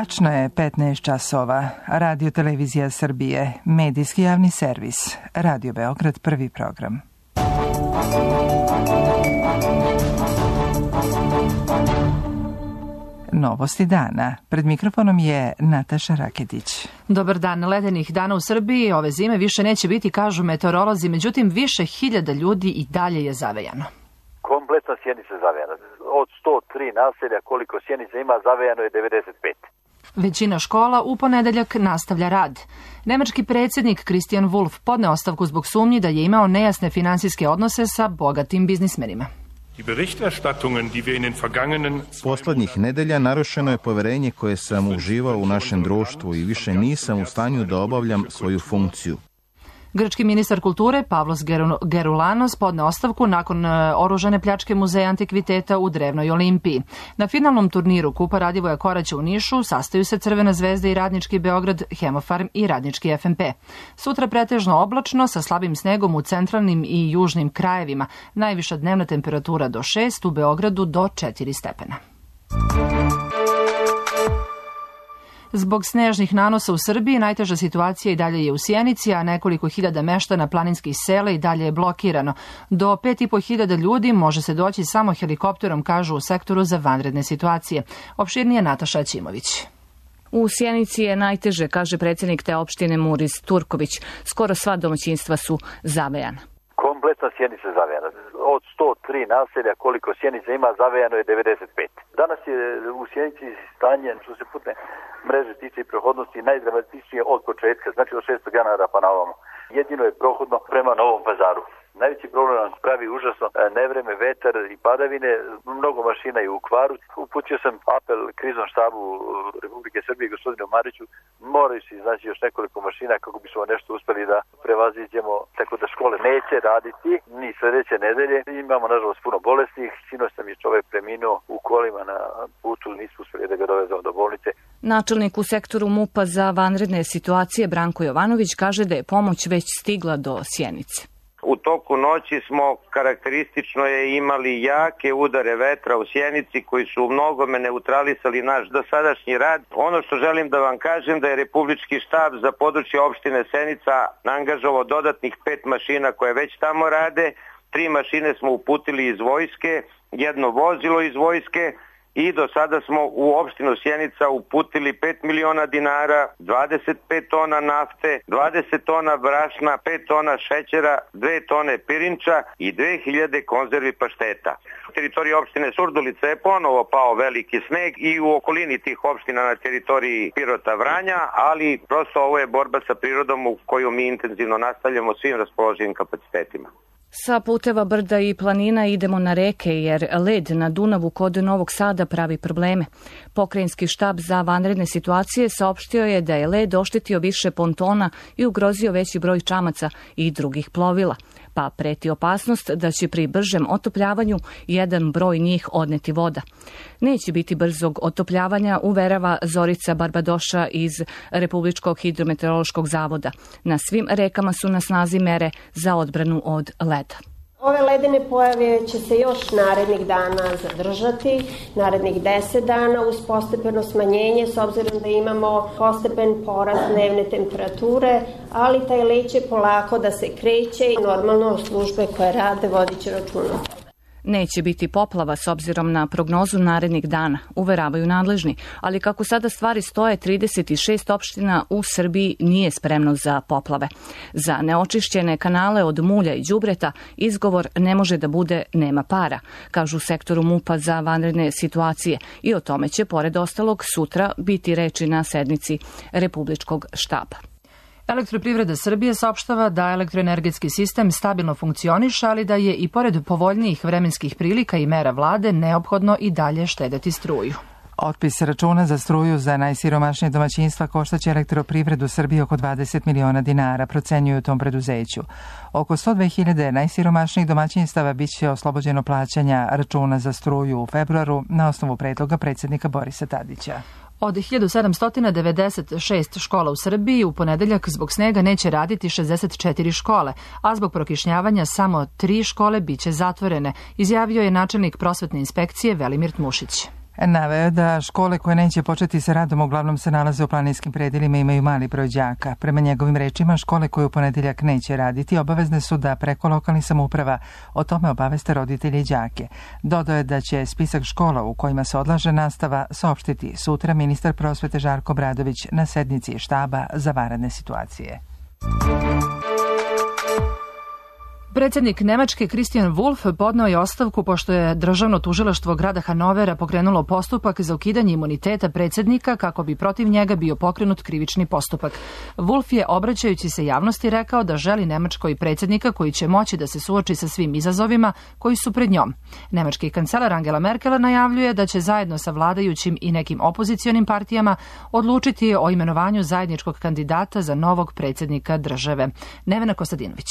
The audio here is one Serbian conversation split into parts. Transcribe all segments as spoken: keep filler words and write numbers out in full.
Tačno je petnaest časova. Radio Televizija Srbije, medijski javni servis. Radio Beograd, prvi program. Novosti dana. Pred mikrofonom je Nataša Raketić. Dobar dan. Ledenih dana u Srbiji ove zime više neće biti, kažu meteorolozi, međutim više hiljada ljudi i dalje je zavejano. Kompletna Sjenica zavejana. Od sto tri naselja koliko Sjenica ima, zavejano je devedeset pet. Većina škola u ponedeljak nastavlja rad. Nemački predsjednik Christian Wulff podneo ostavku zbog sumnji da je imao nejasne finansijske odnose sa bogatim biznismenima. Poslednjih nedelja narušeno je poverenje koje sam uživao u našem društvu i više nisam u stanju da obavljam svoju funkciju. Grčki ministar kulture Pavlos Geroulanos podneo ostavku nakon oružane pljačke muzeja antikviteta u Drevnoj Olimpiji. Na finalnom turniru Kupa Radivoja Koraća u Nišu sastaju se Crvena zvezda i Radnički Beograd, Hemofarm i Radnički F M P. Sutra pretežno oblačno sa slabim snegom u centralnim i južnim krajevima. Najviša dnevna temperatura do šest, u Beogradu do četiri stepena. Zbog snežnih nanosa u Srbiji najteža situacija i dalje je u Sjenici, a nekoliko hiljada meštana planinskih sela i dalje je blokirano. Do pet i po hiljada ljudi može se doći samo helikopterom, kažu u sektoru za vanredne situacije. Opširnije Nataša Ćimović. U Sjenici je najteže, kaže predsjednik te opštine Muris Turković. Skoro sva domaćinstva su zavejana. Kompletna Sjenica zavejana. Od sto tri naselja koliko Sjenica ima, zavejano je devedeset pet. Danas je u Sjenici stanje, što se putne mreže tiče i prohodnosti, najdramatičnije od početka, znači od šestog januara pa na ovamo. Jedino je prohodno prema Novom Pazaru. Najveći problem nam pravi užasno nevreme, vetar i padavine, mnogo mašina je u kvaru. Uputio sam apel kriznom štabu Republike Srbije, gospodinu Mariću, moraju se iznaći još nekoliko mašina kako bismo nešto uspeli da prevaziđemo, tako da škole neće raditi ni sledeće nedelje. Imamo nažalost puno bolesnih, sinoć sam je čovek preminuo u kolima na putu, nismo uspeli da ga dovezemo do bolnice. Načelnik u sektoru MUP-a za vanredne situacije Branko Jovanović kaže da je pomoć već stigla do Sjenice. U toku noći smo karakteristično je imali jake udare vetra u Sjenici koji su u mnogome neutralisali naš dosadašnji rad. Ono što želim da vam kažem da je Republički štab za područje opštine Sjenica angažovao dodatnih pet mašina koje već tamo rade. Tri mašine smo uputili iz vojske, jedno vozilo iz vojske i do sada smo u opštinu Sjenica uputili pet miliona dinara, dvadeset pet tona nafte, dvadeset tona brašna, pet tona šećera, dve tone pirinča i dve hiljade konzervi pašteta. U teritoriji opštine Surdulica je ponovo pao veliki sneg i u okolini tih opština na teritoriji Pirota, Vranja, ali prosto ovo je borba sa prirodom u koju mi intenzivno nastavljamo svim raspoloživim kapacitetima. Sa puteva, brda i planina idemo na reke jer led na Dunavu kod Novog Sada pravi probleme. Pokrajinski štab za vanredne situacije saopštio je da je led oštetio više pontona i ugrozio veći broj čamaca i drugih plovila, pa preti opasnost da će pri bržem otopljavanju jedan broj njih odneti voda. Neće biti brzog otopljavanja, uverava Zorica Barbadoša iz Republičkog hidrometeorološkog zavoda. Na svim rekama su na snazi mere za odbranu od leda. Ove ledene pojave će se još narednih dana zadržati, narednih deset dana uz postepeno smanjenje s obzirom da imamo postepen porast dnevne temperature, ali taj led će polako da se kreće i normalno službe koje rade vodit će računa. Neće biti poplava s obzirom na prognozu narednih dana, uveravaju nadležni, ali kako sada stvari stoje, trideset šest opština u Srbiji nije spremno za poplave. Za neočišćene kanale od mulja i đubreta izgovor ne može da bude nema para, kažu u sektoru MUP-a za vanredne situacije i o tome će, pored ostalog, sutra biti reči na sednici Republičkog štaba. Elektroprivreda Srbije saopštava da elektroenergetski sistem stabilno funkcioniše, ali da je i pored povoljnijih vremenskih prilika i mera vlade neophodno i dalje štedeti struju. Otpis računa za struju za najsiromašnije domaćinstva koštaće Elektroprivredu Srbije oko dvadeset miliona dinara, procenjuju u tom preduzeću. Oko sto dve hiljade najsiromašnijih domaćinstava biće oslobođeno plaćanja računa za struju u februaru na osnovu predloga predsjednika Borisa Tadića. Od hiljadu sedamsto devedeset šest škola u Srbiji u ponedeljak zbog snega neće raditi šezdeset četiri škole, a zbog prokišnjavanja samo tri škole biće zatvorene, izjavio je načelnik prosvetne inspekcije Velimir Tmušić. Naveo da škole koje neće početi sa radom uglavnom se nalaze u planinskim predelima i imaju mali broj đaka. Prema njegovim rečima, škole koje u ponedeljak neće raditi obavezne su da preko lokalnih samouprava o tome obaveste roditelje i đake. Dodao je da će spisak škola u kojima se odlaže nastava saopštiti sutra ministar prosvete Žarko Obradović na sednici štaba za vanredne situacije. Predsjednik Nemačke Christian Wulff podneo je ostavku pošto je državno tužilaštvo grada Hanovera pokrenulo postupak za ukidanje imuniteta predsjednika kako bi protiv njega bio pokrenut krivični postupak. Wulff je, obraćajući se javnosti, rekao da želi Nemačkoj predsjednika koji će moći da se suoči sa svim izazovima koji su pred njom. Nemački kancelar Angela Merkel najavljuje da će zajedno sa vladajućim i nekim opozicionim partijama odlučiti o imenovanju zajedničkog kandidata za novog predsjednika države. Nevena Kostadinović.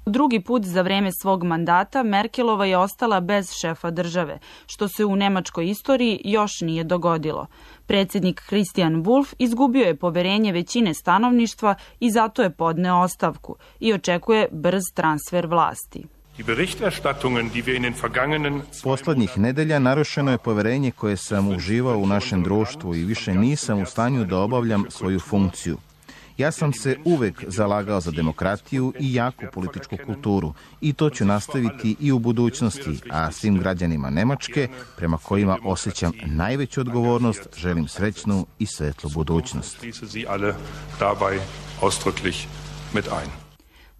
Drugi put za vreme svog mandata Merkelova je ostala bez šefa države, što se u nemačkoj istoriji još nije dogodilo. Predsjednik Christian Wulff izgubio je poverenje većine stanovništva i zato je podneo ostavku i očekuje brz transfer vlasti. Poslednjih nedelja narušeno je poverenje koje sam uživao u našem društvu i više nisam u stanju da obavljam svoju funkciju. Ja sam se uvek zalagao za demokratiju i jaku političku kulturu i to ću nastaviti i u budućnosti, a svim građanima Nemačke, prema kojima osjećam najveću odgovornost, želim srećnu i svetlu budućnost.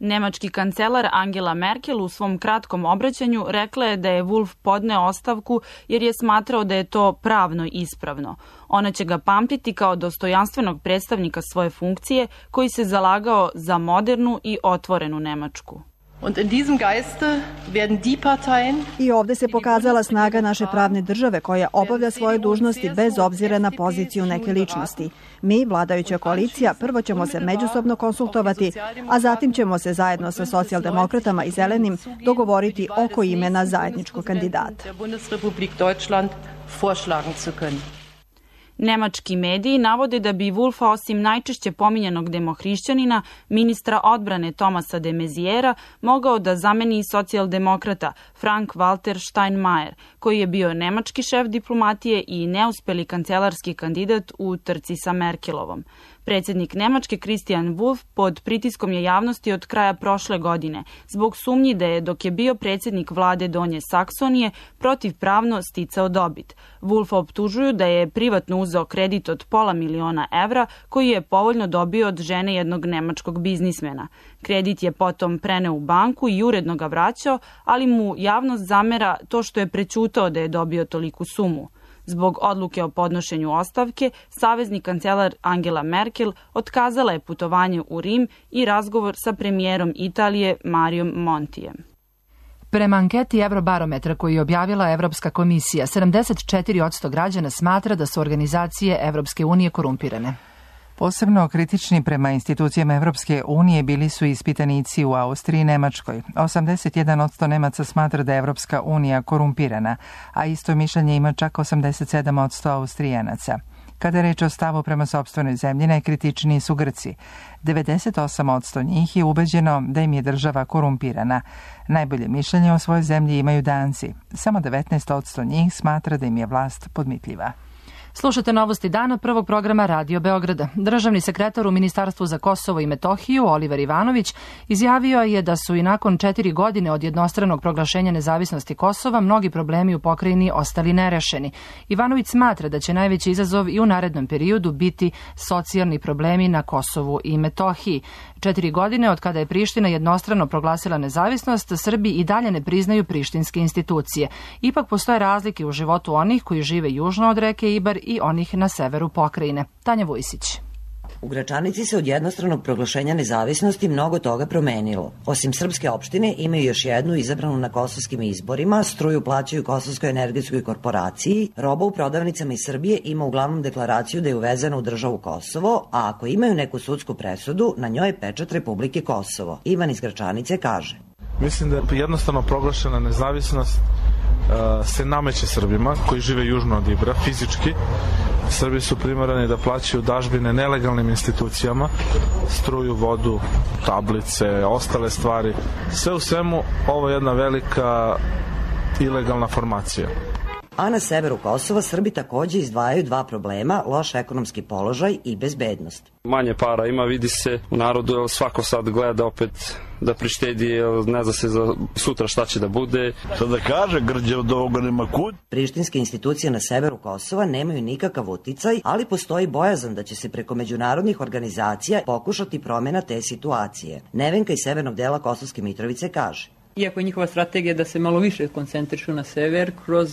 Nemački kancelar Angela Merkel u svom kratkom obraćanju rekla je da je Wulff podneo ostavku jer je smatrao da je to pravno ispravno. Ona će ga pamtiti kao dostojanstvenog predstavnika svoje funkcije koji se zalagao za modernu i otvorenu Nemačku. I ovde se pokazala snaga naše pravne države koja obavlja svoje dužnosti bez obzira na poziciju neke ličnosti. Mi, vladajuća koalicija, prvo ćemo se međusobno konsultovati, a zatim ćemo se zajedno sa socijaldemokratama i zelenim dogovoriti oko imena zajedničkog kandidata. Nemački mediji navode da bi Wulffa osim najčešće pominjanog demohrišćanina, ministra odbrane Thomasa de Maizièra, mogao da zameni socijaldemokrata Frank-Walter Steinmeier, koji je bio nemački šef diplomatije i neuspeli kancelarski kandidat u trci sa Merkelovom. Predsjednik Nemačke Christian Wulff pod pritiskom je javnosti od kraja prošle godine zbog sumnji da je dok je bio predsjednik vlade Donje Saksonije protivpravno sticao dobit. Wulffa optužuju da je privatno uzeo kredit od pola miliona evra koji je povoljno dobio od žene jednog nemačkog biznismena. Kredit je potom preneo u banku i uredno ga vraćao, ali mu javnost zamera to što je prećutao da je dobio toliku sumu. Zbog odluke o podnošenju ostavke, savezni kancelar Angela Merkel otkazala je putovanje u Rim i razgovor sa premijerom Italije Marijom Montijem. Prema anketi Eurobarometra koju je objavila Evropska komisija, sedamdeset četiri posto građana smatra da su organizacije Evropske unije korumpirane. Posebno kritični prema institucijama Evropske unije bili su ispitanici u Austriji i Nemačkoj. osamdeset jedan posto Nemaca smatra da je Evropska unija korumpirana, a isto mišljenje ima čak osamdeset sedam posto Austrijanaca. Kada je reč o stavu prema sopstvenoj zemlji, najkritičniji su Grci. devedeset osam posto njih je ubeđeno da im je država korumpirana. Najbolje mišljenje o svojoj zemlji imaju Danci. Samo devetnaest posto njih smatra da im je vlast podmitljiva. Slušate novosti dana prvog programa Radio Beograda. Državni sekretar u Ministarstvu za Kosovo i Metohiju, Oliver Ivanović, izjavio je da su i nakon četiri godine od jednostranog proglašenja nezavisnosti Kosova mnogi problemi u pokrajini ostali nerešeni. Ivanović smatra da će najveći izazov i u narednom periodu biti socijalni problemi na Kosovu i Metohiji. Četiri godine od kada je Priština jednostrano proglasila nezavisnost, Srbi i dalje ne priznaju prištinske institucije. Ipak postoje razlike u životu onih koji žive južno od reke Ibar i onih na severu pokrajine. Tanja Vujsić. U Gračanici se od jednostranog proglašenja nezavisnosti mnogo toga promenilo. Osim srpske opštine imaju još jednu izabranu na kosovskim izborima, struju plaćaju Kosovskoj energetskoj korporaciji, roba u prodavnicama iz Srbije ima uglavnom deklaraciju da je uvezena u državu Kosovo, a ako imaju neku sudsku presudu, na njoj je pečat Republike Kosovo. Ivan iz Gračanice kaže: Mislim da je jednostavno proglašena nezavisnost uh, se nameće Srbima koji žive južno od Ibra, fizički. Srbi su primorani da plaćaju dažbine nelegalnim institucijama, struju, vodu, tablice, ostale stvari. Sve u svemu, ovo je jedna velika ilegalna formacija. A na severu Kosova Srbi takođe izdvajaju dva problema, loš ekonomski položaj i bezbednost. Manje para ima, vidi se u narodu, jer svako sad gleda opet da prištedi, jer ne zna se za sutra šta će da bude. Sad da kaže, grđe od ovoga nema kud. Prištinske institucije na severu Kosova nemaju nikakav uticaj, ali postoji bojazan da će se preko međunarodnih organizacija pokušati promjena te situacije. Nevenka iz severnog dela Kosovske Mitrovice kaže: Iako je njihova strategija da se malo više koncentrišu na sever, kroz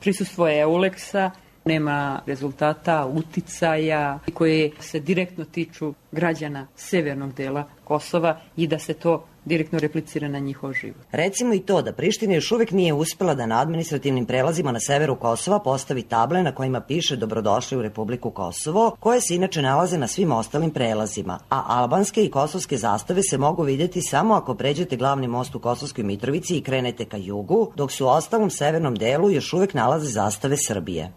prisustvo EULEX-a nema rezultata, uticaja koje se direktno tiču građana severnog dela Kosova i da se to direktno replicira na njihov život. Recimo i to da Priština još uvek nije uspela da na administrativnim prelazima na severu Kosova postavi table na kojima piše dobrodošli u Republiku Kosovo, koje se inače nalaze na svim ostalim prelazima, a albanske i kosovske zastave se mogu vidjeti samo ako pređete glavni most u Kosovskoj Mitrovici i krenete ka jugu, dok su u ostalom severnom delu još uvek nalaze zastave Srbije.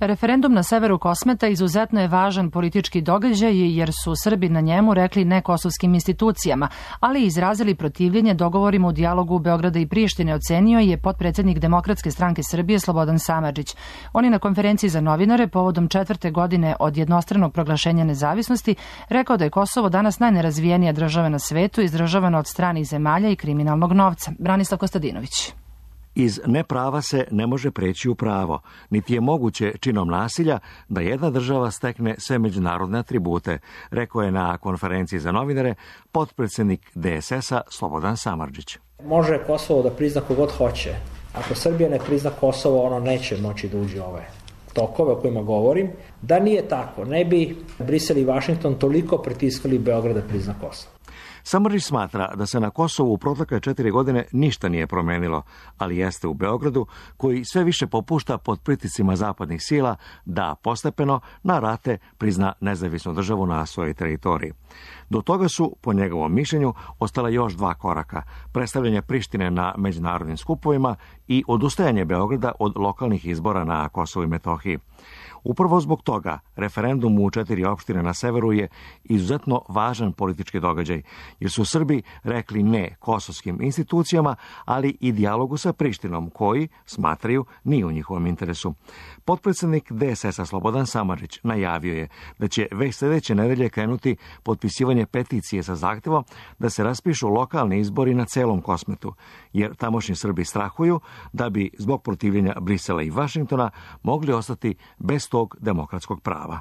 Referendum na severu Kosmeta izuzetno je važan politički događaj jer su Srbi na njemu rekli ne kosovskim institucijama, ali izrazili protivljenje dogovorima u dijalogu Beograda i Prištine, ocenio je potpredsednik Demokratske stranke Srbije Slobodan Samardžić. On je na konferenciji za novinare povodom četvrte godine od jednostranog proglašenja nezavisnosti rekao da je Kosovo danas najnerazvijenija država na svetu, izdržavana od stranih zemalja i kriminalnog novca. Branislav Kostadinović. Iz neprava se ne može preći u pravo, niti je moguće činom nasilja da jedna država stekne sve međunarodne atribute, rekao je na konferenciji za novinare potpredsjednik D S S-a Slobodan Samardžić. Može Kosovo da prizna kogod hoće. Ako Srbija ne prizna Kosovo, ono neće moći da uđe u ove tokove o kojima govorim. Da nije tako, ne bi Brisel i Vašington toliko pritiskali Beograd da prizna Kosovo. Samardžić smatra da se na Kosovu u protekle četiri godine ništa nije promenilo, ali jeste u Beogradu, koji sve više popušta pod pritiscima zapadnih sila da postepeno na rate prizna nezavisnu državu na svojoj teritoriji. Do toga su, po njegovom mišljenju, ostala još dva koraka: predstavljanje Prištine na međunarodnim skupovima i odustajanje Beograda od lokalnih izbora na Kosovu i Metohiji. Upravo zbog toga referendum u četiri opštine na severu je izuzetno važan politički događaj, jer su Srbi rekli ne kosovskim institucijama, ali i dijalogu sa Prištinom, koji, smatraju, nije u njihovom interesu. Potpredsjednik D S S-a Slobodan Samardžić najavio je da će već sljedeće nedelje krenuti potpisivanje peticije sa zahtevom da se raspišu lokalni izbori na celom Kosmetu, jer tamošnji Srbi strahuju da bi zbog protivljenja Brisela i Vašingtona mogli ostati bez tog demokratskog prava.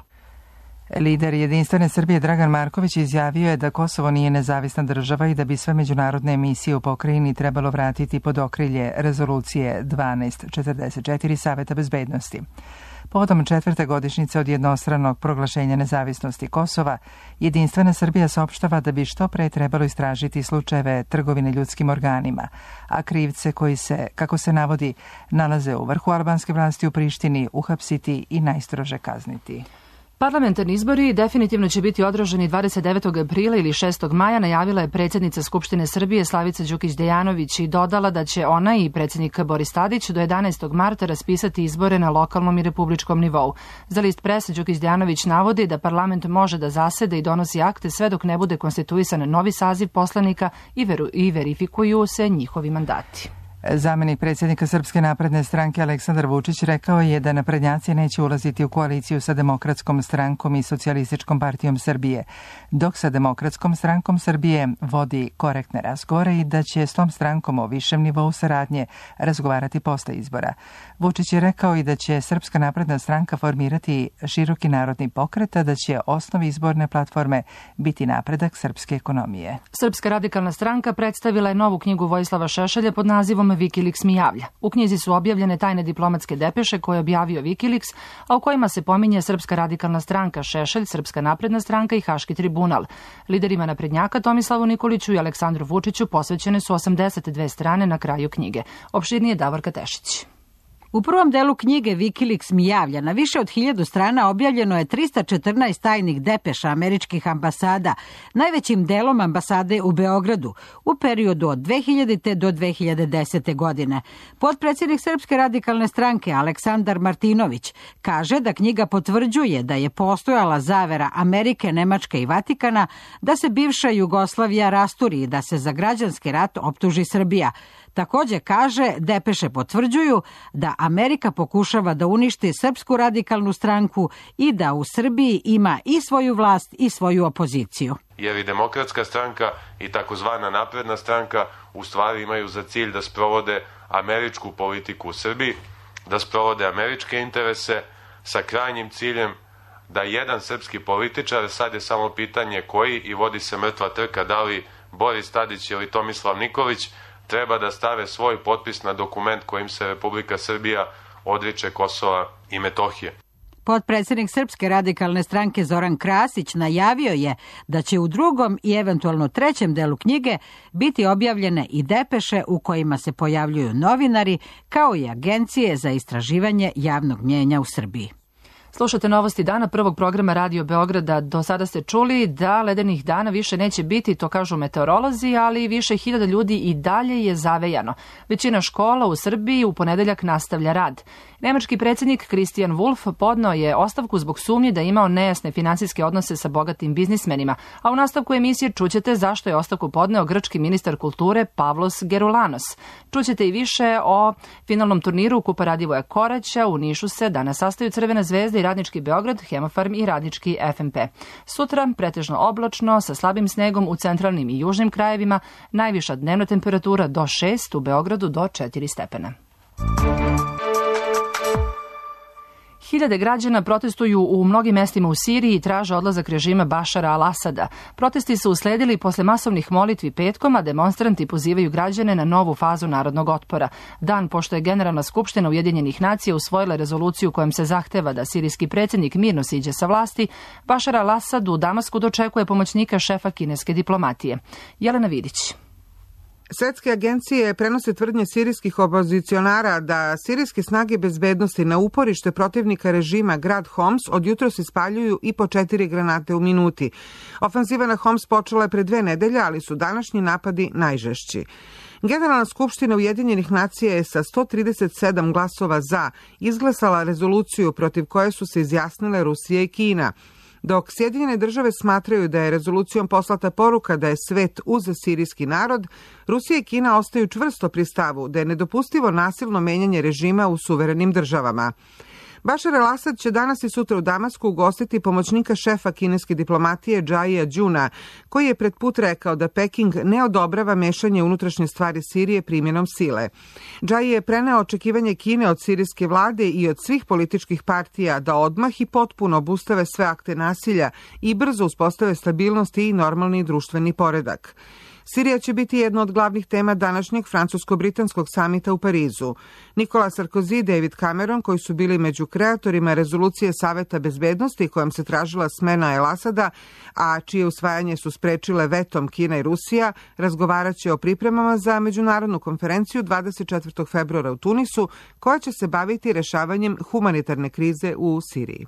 Lider Jedinstvene Srbije Dragan Marković izjavio je da Kosovo nije nezavisna država i da bi sve međunarodne emisije u pokrajini trebalo vratiti pod okrilje rezolucije dvanaest četrdeset četiri Saveta bezbednosti. Povodom četvrte godišnjice od jednostranog proglašenja nezavisnosti Kosova, Jedinstvena Srbija saopštava da bi što pre trebalo istražiti slučajeve trgovine ljudskim organima, a krivce koji se, kako se navodi, nalaze u vrhu albanske vlasti u Prištini, uhapsiti i najstrože kazniti. Parlamentarni izbori definitivno će biti održani dvadeset devetog aprila ili šestog maja, najavila je predsjednica Skupštine Srbije Slavica Đukić Dejanović i dodala da će ona i predsjednik Boris Tadić do jedanaestog marta raspisati izbore na lokalnom i republičkom nivou. Za list prese Đukić Dejanović navodi da parlament može da zasede i donosi akte sve dok ne bude konstituisan novi saziv poslanika i, veru, i verifikuju se njihovi mandati. Zamenik predsjednika Srpske napredne stranke Aleksandar Vučić rekao je da naprednjaci neće ulaziti u koaliciju sa Demokratskom strankom i Socijalističkom partijom Srbije, dok sa Demokratskom strankom Srbije vodi korektne razgovore i da će s tom strankom o višem nivou saradnje razgovarati posle izbora. Vučić je rekao i da će Srpska napredna stranka formirati široki narodni pokret, a da će osnov izborne platforme biti napredak srpske ekonomije. Srpska radikalna stranka predstavila je novu knjigu Vojislava Šešelja pod nazivom Wikileaks mi javlja. U knjizi su objavljene tajne diplomatske depeše koje je objavio Wikileaks, a u kojima se pominje Srpska radikalna stranka, Šešelj, Srpska napredna stranka i Haški tribunal. Liderima naprednjaka Tomislavu Nikoliću i Aleksandru Vučiću posvećene su osamdeset dve strane na kraju knjige. Opširnije Davorka Tešić. U prvom delu knjige Wikileaks mi javlja na više od hiljadu strana objavljeno je trista četrnaest tajnih depeša američkih ambasada, najvećim delom ambasade u Beogradu, u periodu od dve hiljadite do dve hiljade desete. godine. Potpredsjednik Srpske radikalne stranke Aleksandar Martinović kaže da knjiga potvrđuje da je postojala zavera Amerike, Nemačke i Vatikana da se bivša Jugoslavija rasturi i da se za građanski rat optuži Srbija. Takođe kaže, depeše potvrđuju da Amerika pokušava da uništi Srpsku radikalnu stranku i da u Srbiji ima i svoju vlast i svoju opoziciju. Jer i Demokratska stranka i takozvana Napredna stranka u stvari imaju za cilj da sprovode američku politiku u Srbiji, da sprovode američke interese sa krajnjim ciljem da jedan srpski političar, sad je samo pitanje koji i vodi se mrtva trka da li Boris Tadić ili Tomislav Nikolić, treba da stave svoj potpis na dokument kojim se Republika Srbija odriče Kosova i Metohije. Potpredsednik Srpske radikalne stranke Zoran Krasić najavio je da će u drugom i eventualno trećem delu knjige biti objavljene i depeše u kojima se pojavljuju novinari kao i agencije za istraživanje javnog mnjenja u Srbiji. Slušate novosti dana prvog programa Radio Beograda. Do sada ste čuli da ledenih dana više neće biti, to kažu meteorolozi, ali više hiljada ljudi i dalje je zavejano. Većina škola u Srbiji u ponedeljak nastavlja rad. Nemački predsjednik Christian Wulff podneo je ostavku zbog sumnje da je imao nejasne finansijske odnose sa bogatim biznismenima, a u nastavku emisije čućete zašto je ostavku podneo grčki ministar kulture Pavlos Geroulanos. Čućete i više o finalnom turniru Kupa Radivoja Koraća. U Nišu se danas sastaju Crvena zvezda i Radnički Beograd, Hemofarm i Radnički F M P. Sutra pretežno oblačno sa slabim snegom u centralnim i južnim krajevima, najviša dnevna temperatura do šest, u Beogradu do četiri stepena. Hiljade građana protestuju u mnogim mestima u Siriji i traže odlazak režima Bašara al-Asada. Protesti su usledili posle masovnih molitvi petkom, a demonstranti pozivaju građane na novu fazu narodnog otpora. Dan pošto je Generalna skupština Ujedinjenih nacija usvojila rezoluciju kojom se zahteva da sirijski predsjednik mirno siđe sa vlasti, Bašar al-Asad u Damasku dočekuje pomoćnika šefa kineske diplomatije. Jelena Vidić. Svetske agencije prenose tvrdnje sirijskih opozicionara da sirijske snage bezbednosti na uporište protivnika režima grad Homs od jutros ispaljuju i po četiri granate u minuti. Ofanziva na Homs počela je pre dve nedelje, ali su današnji napadi najžešći. Generalna skupština Ujedinjenih nacija je sa sto trideset sedam glasova za izglasala rezoluciju protiv koje su se izjasnile Rusija i Kina. Dok Sjedinjene države smatraju da je rezolucijom poslata poruka da je svet uz sirijski narod, Rusija i Kina ostaju čvrsto pri stavu da je nedopustivo nasilno menjanje režima u suverenim državama. Bašar al-Asad će danas i sutra u Damasku ugostiti pomoćnika šefa kineske diplomatije Džajija Đuna, koji je pred put rekao da Peking ne odobrava mešanje unutrašnje stvari Sirije primjenom sile. Džaji je preneo očekivanje Kine od sirijske vlade i od svih političkih partija da odmah i potpuno obustave sve akte nasilja i brzo uspostave stabilnost i normalni društveni poredak. Sirija će biti jedna od glavnih tema današnjeg francusko-britanskog samita u Parizu. Nikola Sarkozy i David Cameron, koji su bili među kreatorima rezolucije Saveta bezbednosti kojom se tražila smena al-Asada, a čije usvajanje su sprečile vetom Kina i Rusija, razgovarat će o pripremama za međunarodnu konferenciju dvadeset četvrtog februara u Tunisu, koja će se baviti rešavanjem humanitarne krize u Siriji.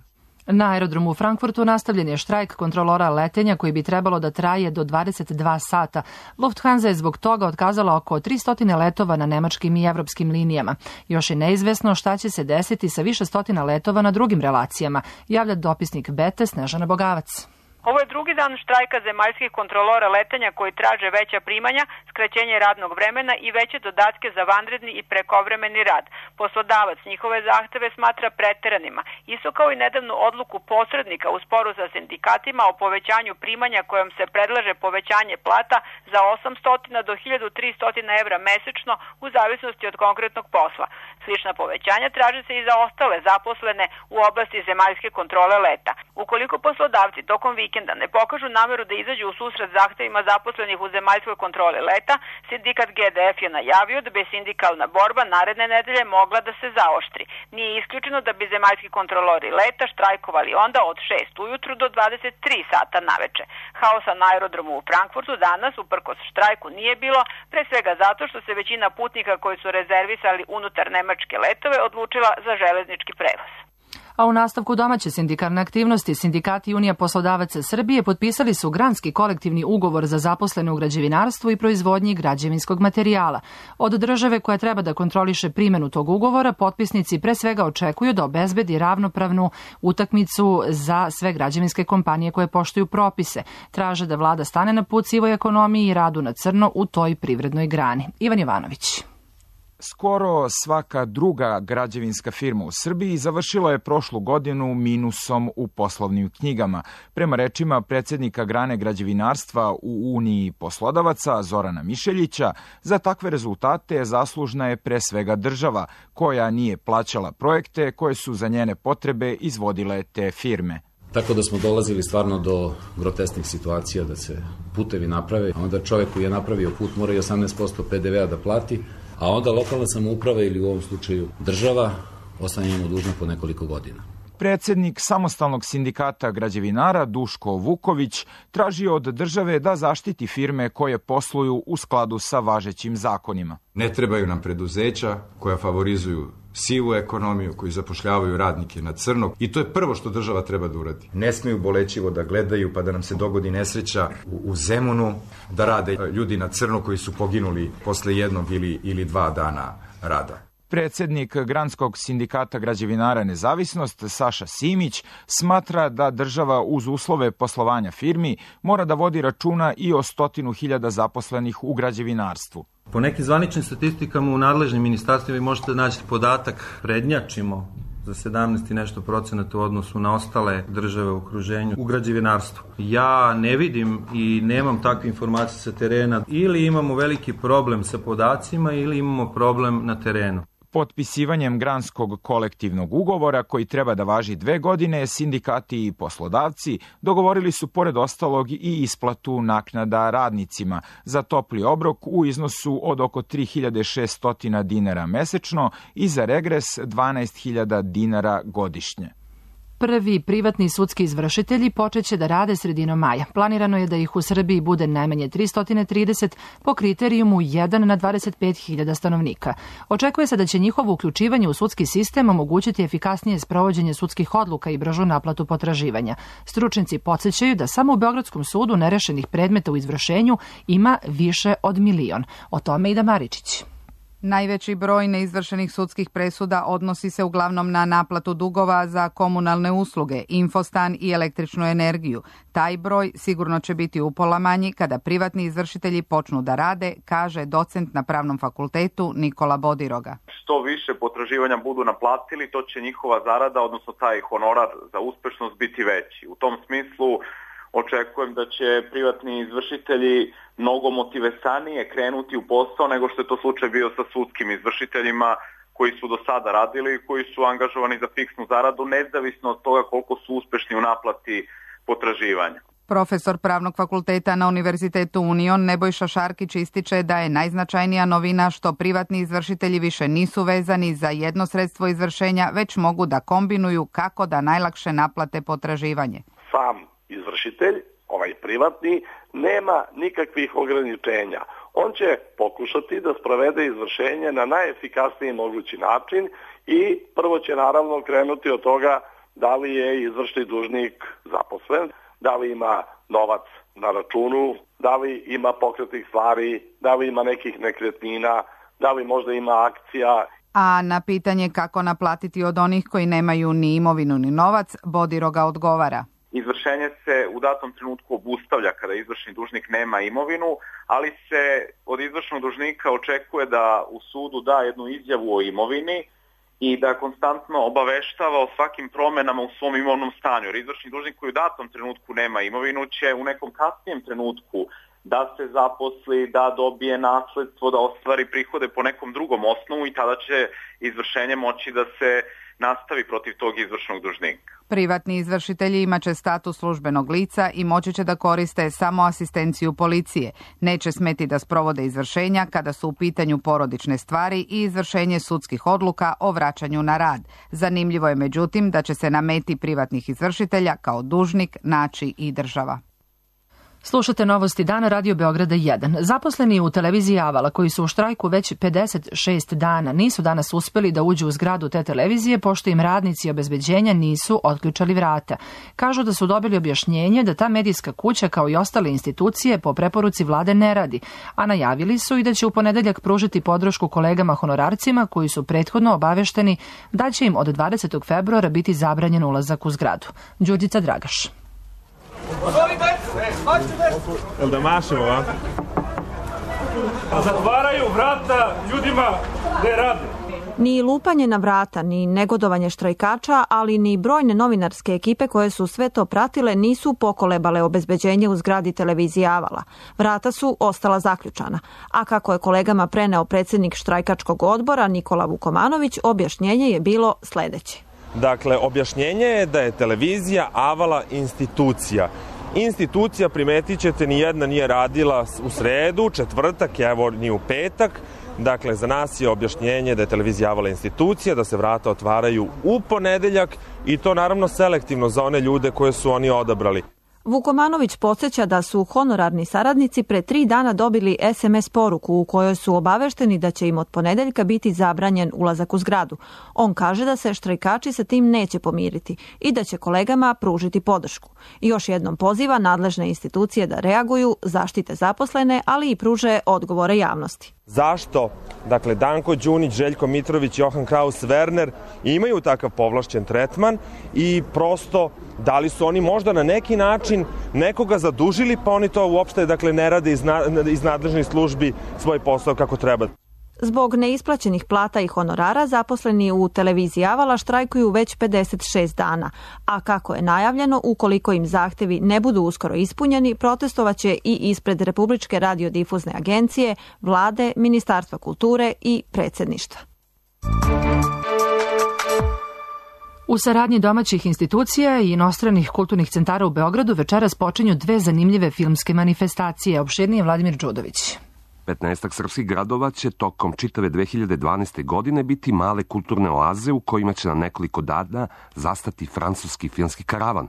Na aerodromu u Frankfurtu nastavljen je štrajk kontrolora letenja koji bi trebalo da traje do dvadeset dva sata. Lufthansa je zbog toga otkazala oko tristo letova na nemačkim i evropskim linijama. Još je neizvesno šta će se desiti sa više stotina letova na drugim relacijama, javlja dopisnik Bete Snežana Bogavac. Ovo je drugi dan štrajka zemaljskih kontrolora letenja koji traže veća primanja, skraćenje radnog vremena i veće dodatke za vanredni i prekovremeni rad. Poslodavac njihove zahteve smatra preteranima, isto kao i nedavnu odluku posrednika u sporu sa sindikatima o povećanju primanja kojom se predlaže povećanje plata za osamsto do hiljadu tristo evra mesečno u zavisnosti od konkretnog posla. Slična povećanja traže se i za ostale zaposlene u oblasti zemaljske kontrole leta. Ukoliko poslodavci tokom vikenda ne pokažu nameru da izađu u susret zahtevima zaposlenih u zemaljskoj kontroli leta, sindikat G D F je najavio da bi sindikalna borba naredne nedelje mogla da se zaoštri. Nije isključeno da bi zemaljski kontrolori leta štrajkovali onda od šest ujutru do dvadeset tri sata naveče. Haosa na aerodromu u Frankfurtu danas, uprkos štrajku, nije bilo, pre svega zato što se većina putnika koji su rezervisali unutar nemačke letove odlučila za železnički prevoz. A u nastavku domaće sindikalne aktivnosti, sindikati Unija poslodavaca Srbije potpisali su granski kolektivni ugovor za zaposlene u građevinarstvu i proizvodnji građevinskog materijala. Od države koja treba da kontroliše primjenu tog ugovora, potpisnici pre svega očekuju da obezbedi ravnopravnu utakmicu za sve građevinske kompanije koje poštuju propise. Traže da vlada stane na put sivoj ekonomiji i radu na crno u toj privrednoj grani. Ivan Jovanović. Skoro svaka druga građevinska firma u Srbiji završila je prošlu godinu minusom u poslovnim knjigama. Prema rečima predsjednika grane građevinarstva u Uniji poslodavaca Zorana Mišeljića, za takve rezultate zaslužna je pre svega država, koja nije plaćala projekte koje su za njene potrebe izvodile te firme. Tako da smo dolazili stvarno do grotesknih situacija da se putevi naprave, a onda čovjek koji je napravio put mora i osamnaest posto pe de vea da plati, a onda lokalna samouprava ili u ovom slučaju država ostane mu dužna po nekoliko godina. Predsjednik samostalnog sindikata građevinara Duško Vuković tražio od države da zaštiti firme koje posluju u skladu sa važećim zakonima. Ne trebaju nam preduzeća koja favorizuju sivu ekonomiju, koji zapošljavaju radnike na crno i to je prvo što država treba da uradi. Ne smiju bolećivo da gledaju pa da nam se dogodi nesreća u, u Zemunu, da rade ljudi na crno koji su poginuli posle jednog ili, ili dva dana rada. Predsjednik Granskog sindikata građevinara Nezavisnost Saša Simić smatra da država uz uslove poslovanja firmi mora da vodi računa i o stotinu hiljada zaposlenih u građevinarstvu. Po nekim zvaničnim statistikama u nadležnim ministarstvima vi možete naći podatak prednjačimo za sedamnaest i nešto procenata u odnosu na ostale države u okruženju u građevinarstvu. Ja ne vidim i nemam takve informacije sa terena. Ili imamo veliki problem sa podacima ili imamo problem na terenu. Potpisivanjem granskog kolektivnog ugovora, koji treba da važi dve godine, sindikati i poslodavci dogovorili su pored ostalog i isplatu naknada radnicima za topli obrok u iznosu od oko tri hiljade šesto dinara mesečno i za regres dvanaest hiljada dinara godišnje. Prvi privatni sudski izvršitelji počeće da rade sredinom maja. Planirano je da ih u Srbiji bude najmanje tristo trideset po kriterijumu jedan na dvadeset pet hiljada stanovnika. Očekuje se da će njihovo uključivanje u sudski sistem omogućiti efikasnije sprovođenje sudskih odluka i bržu naplatu potraživanja. Stručnjaci podsjećaju da samo u Beogradskom sudu nerešenih predmeta u izvršenju ima više od milion. O tome Ida Maričić. Najveći broj neizvršenih sudskih presuda odnosi se uglavnom na naplatu dugova za komunalne usluge, infostan i električnu energiju. Taj broj sigurno će biti upola manji kada privatni izvršitelji počnu da rade, kaže docent na Pravnom fakultetu Nikola Bodiroga. Što više potraživanja budu naplatili, to će njihova zarada, odnosno taj honorar za uspešnost biti veći. U tom smislu očekujem da će privatni izvršitelji mnogo motivesanije krenuti u posao nego što je to slučaj bio sa sudskim izvršiteljima koji su do sada radili i koji su angažovani za fiksnu zaradu, nezavisno od toga koliko su uspešni u naplati potraživanja. Profesor Pravnog fakulteta na Univerzitetu Union Nebojša Šarkić ističe da je najznačajnija novina što privatni izvršitelji više nisu vezani za jedno sredstvo izvršenja, već mogu da kombinuju kako da najlakše naplate potraživanje. Sam izvršitelj, ovaj privatni, nema nikakvih ograničenja. On će pokušati da sprovede izvršenje na najefikasniji mogući način i prvo će naravno krenuti od toga da li je izvršni dužnik zaposlen, da li ima novac na računu, da li ima pokretnih stvari, da li ima nekih nekretnina, da li možda ima akcija. A na pitanje kako naplatiti od onih koji nemaju ni imovinu ni novac, Bodiroga odgovara. Izvršenje se u datom trenutku obustavlja kada izvršni dužnik nema imovinu, ali se od izvršnog dužnika očekuje da u sudu da jednu izjavu o imovini i da konstantno obaveštava o svakim promenama u svom imovnom stanju. Jer izvršni dužnik koji u datom trenutku nema imovinu će u nekom kasnijem trenutku da se zaposli, da dobije nasledstvo, da ostvari prihode po nekom drugom osnovu i tada će izvršenje moći da se nastavi protiv tog izvršnog dužnika. Privatni izvršitelji imaće status službenog lica i moći će da koriste samo asistenciju policije. Neće smeti da sprovode izvršenja kada su u pitanju porodične stvari i izvršenje sudskih odluka o vraćanju na rad. Zanimljivo je međutim da će se na meti privatnih izvršitelja kao dužnik naći i država. Slušate novosti dana Radio Beograda jedan. Zaposleni u televiziji Avala koji su u štrajku već pedeset šest dana nisu danas uspeli da uđu u zgradu te televizije pošto im radnici obezbeđenja nisu otključali vrata. Kažu da su dobili objašnjenje da ta medijska kuća kao i ostale institucije po preporuci vlade ne radi, a najavili su i da će u ponedeljak pružiti podršku kolegama honorarcima koji su prethodno obavešteni da će im od dvadesetog februara biti zabranjen ulazak u zgradu. Đurđica Dragaš. Jel da mašemo, a? Zatvaraju vrata ljudima Gde radi? Ni lupanje na vrata, ni negodovanje štrajkača, ali ni brojne novinarske ekipe koje su sve to pratile nisu pokolebale obezbeđenje u zgradi televizije Avala. Vrata su ostala zaključana. A kako je kolegama preneo predsjednik štrajkačkog odbora Nikola Vukomanović, objašnjenje je bilo sledeće. Dakle, objašnjenje je da je televizija Avala institucija. Institucija, primetit ćete, ni jedna nije radila u sredu, četvrtak, evo ni u petak. Dakle, za nas je objašnjenje da je televizija Avala institucija, da se vrata otvaraju u ponedeljak i to naravno selektivno za one ljude koje su oni odabrali. Vukomanović podsjeća da su honorarni saradnici pre tri dana dobili es em es poruku u kojoj su obavešteni da će im od ponedeljka biti zabranjen ulazak u zgradu. On kaže da se štrajkači sa tim neće pomiriti i da će kolegama pružiti podršku. I još jednom poziva nadležne institucije da reaguju, zaštite zaposlene, ali i pruže odgovore javnosti. Zašto, dakle, Danko Đunić, Željko Mitrović, Johan Kraus, Werner imaju takav povlašćen tretman i prosto da li su oni možda na neki način nekoga zadužili, pa oni to uopšte, dakle, ne rade iz, na, iz nadležnih službi svoj posao kako treba. Zbog neisplaćenih plata i honorara zaposleni u televiziji Avala štrajkuju već pedeset šest dana, a kako je najavljeno, ukoliko im zahtevi ne budu uskoro ispunjeni, protestovaće i ispred Republičke radiodifuzne agencije, vlade, Ministarstva kulture i predsjedništva. U saradnji domaćih institucija i inostranih kulturnih centara u Beogradu večeras počinju dve zanimljive filmske manifestacije. Opširnije Vladimir Đudović. petnaestak srpskih gradova će tokom čitave dve hiljade dvanaeste. godine biti male kulturne oaze u kojima će na nekoliko dana zastati francuski filmski karavan.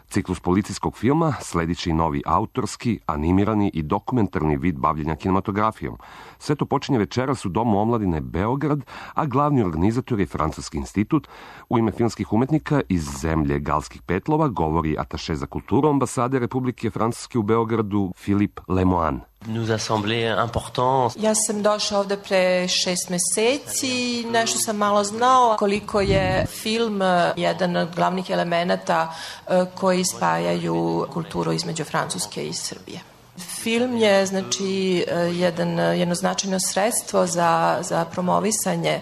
Ciklus policijskog filma sledit će i novi autorski, animirani i dokumentarni vid bavljenja kinematografijom. Sve to počinje večeras u Domu omladine Beograd, a glavni organizator je Francuski institut. U ime filmskih umetnika iz zemlje Galskih petlova govori ataše za kulturu ambasade Republike Francuske u Beogradu Filip Lemoine. Ja sam došao ovde pre šest meseci, nešto sam malo znao koliko je film jedan od glavnih elemenata koji spajaju kulturu između Francuske i Srbije. Film je, znači, jedan, jedno značajno sredstvo za, za promovisanje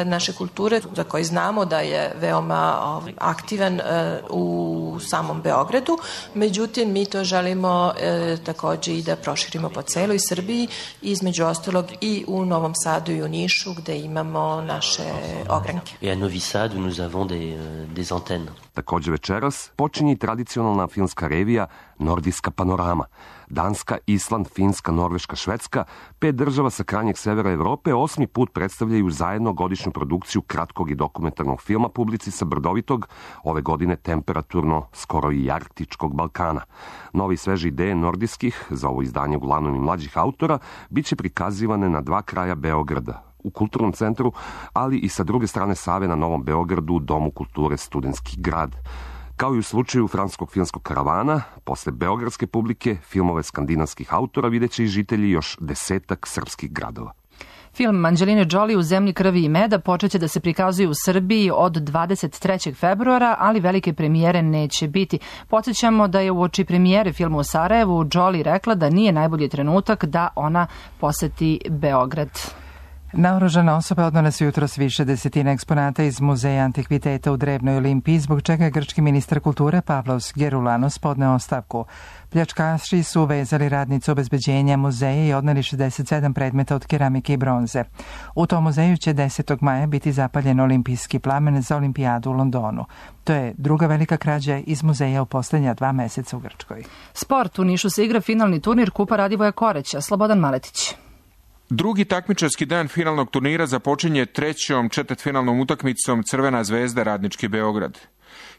naše kulture, za koji znamo da je veoma aktivan u samom Beogradu. Međutim, mi to želimo takođe i da proširimo po celoj Srbiji, između ostalog i u Novom Sadu i u Nišu, gde imamo naše ogranke. I à Novi Sad, où nous avons des, des antennes. Takođe večeras počinje i tradicionalna filmska revija Nordijska panorama. Danska, Island, Finska, Norveška, Švedska, pet država sa krajnjeg severa Evrope osmi put predstavljaju zajedno godišnju produkciju kratkog i dokumentarnog filma publici sa brdovitog, ove godine temperaturno, skoro i arktičkog Balkana. Novi sveže ideje nordijskih, za ovo izdanje uglavnom i mlađih autora, bit će prikazivane na dva kraja Beograda, u Kulturnom centru, ali i sa druge strane Save na Novom Beogradu u Domu kulture Studentski grad. Kao i u slučaju francuskog filmskog karavana, posle beogradske publike, filmove skandinavskih autora videće i žitelji još desetak srpskih gradova. Film Anđeline Jolie U zemlji krvi i meda počeće da se prikazuje u Srbiji od dvadeset trećeg februara, ali velike premijere neće biti. Podsjećamo da je uoči premijere filma u Sarajevu Jolie rekla da nije najbolji trenutak da ona poseti Beograd. Naoružana osoba odnala su jutros više desetina eksponata iz Muzeja antikviteta u Drevnoj Olimpiji, zbog čega je grčki ministar kulture Pavlos Geroulanos podneo ostavku. Pljačkaši su vezali radnicu obezbeđenja muzeja i odneli šezdeset sedam predmeta od keramike i bronze. U tom muzeju će desetog maja biti zapaljen olimpijski plamen za olimpijadu u Londonu. To je druga velika krađa iz muzeja u poslednja dva meseca u Grčkoj. Sport. U Nišu se igra finalni turnir Kupa Radivoja Koreća. Slobodan Maletić. Drugi takmičarski dan finalnog turnira započinje trećom četvrtfinalnom utakmicom Crvena zvezda Radnički Beograd.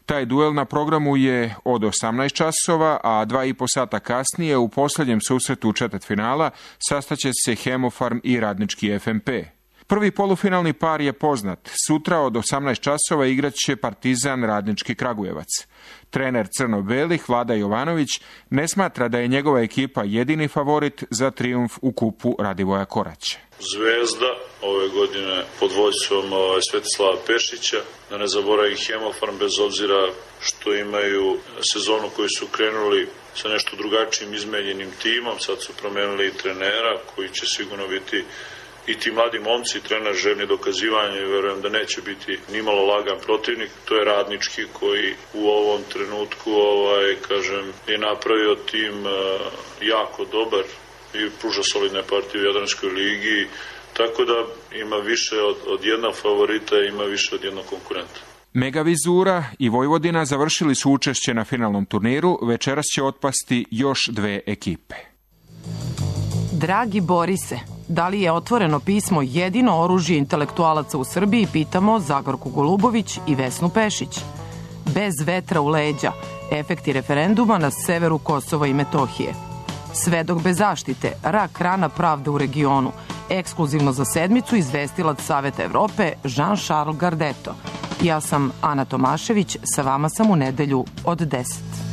Taj duel na programu je od osamnaest časova, a dva i po sata kasnije u posljednjem susretu četvrtfinala sastaće se Hemofarm i Radnički F M P. Prvi polufinalni par je poznat. Sutra od osamnaest časova igraće Partizan Radnički Kragujevac. Trener crno-belih Vlada Jovanović ne smatra da je njegova ekipa jedini favorit za trijumf u kupu Radivoja Koraća. Zvezda ove godine pod vođstvom Svetislava Pešića, da ne zaboravim Hemofarm, bez obzira što imaju sezonu koju su krenuli sa nešto drugačijim izmenjenim timom, sad su promenili i trenera koji će sigurno biti i ti mladi momci, trener željni dokazivanja i verujem da neće biti nimalo lagan protivnik. To je Radnički koji u ovom trenutku ovaj, kažem, je napravio tim uh, jako dobar i pruža solidne partije u Jadranskoj ligi, tako da ima više od, od jednog favorita i ima više od jednog konkurenta. Megavizura i Vojvodina završili su učešće na finalnom turniru, večeras će otpasti još dve ekipe. Dragi Borise, da li je otvoreno pismo jedino oružje intelektualaca u Srbiji, pitamo Zagorku Golubović i Vesnu Pešić. Bez vetra u leđa, efekti referenduma na severu Kosova i Metohije. Svedok bez zaštite, rak rana pravde u regionu. Ekskluzivno za sedmicu izvestilac Saveta Evrope Jean-Charles Gardeto. Ja sam Ana Tomašević, sa vama sam u nedelju od deset.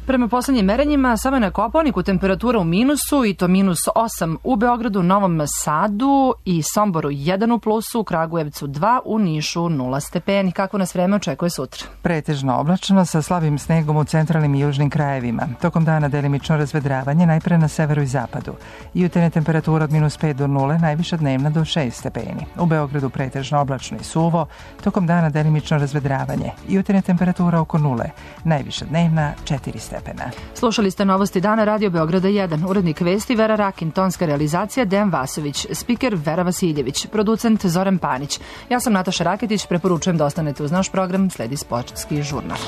Prema poslednjim merenjima, samo je na Kopaoniku temperatura u minusu i to minus osam u Beogradu, Novom Sadu i Somboru jedan u plusu, u Kragujevcu dva, u Nišu nula stepeni. Kako nas vreme očekuje sutra? Pretežno oblačno sa slabim snegom u centralnim i južnim krajevima. Tokom dana delimično razvedravanje, najpre na severu i zapadu. Jutarnja temperatura od minus pet do nule, najviša dnevna do šest stepeni. U Beogradu pretežno oblačno i suvo, tokom dana delimično razvedravanje. Jutarnja temperatura oko nule, najviša dnevna četiri stepena. Slušali ste Novosti dana Radio Beograda jedan. Urednik vesti Vera Rakin, tonska realizacija Dejan Vasović, spiker Vera Vasiljević, producent Zoran Panić. Ja sam Nataša Raketić, preporučujem da ostanete uz naš program, sledi sportski žurnal.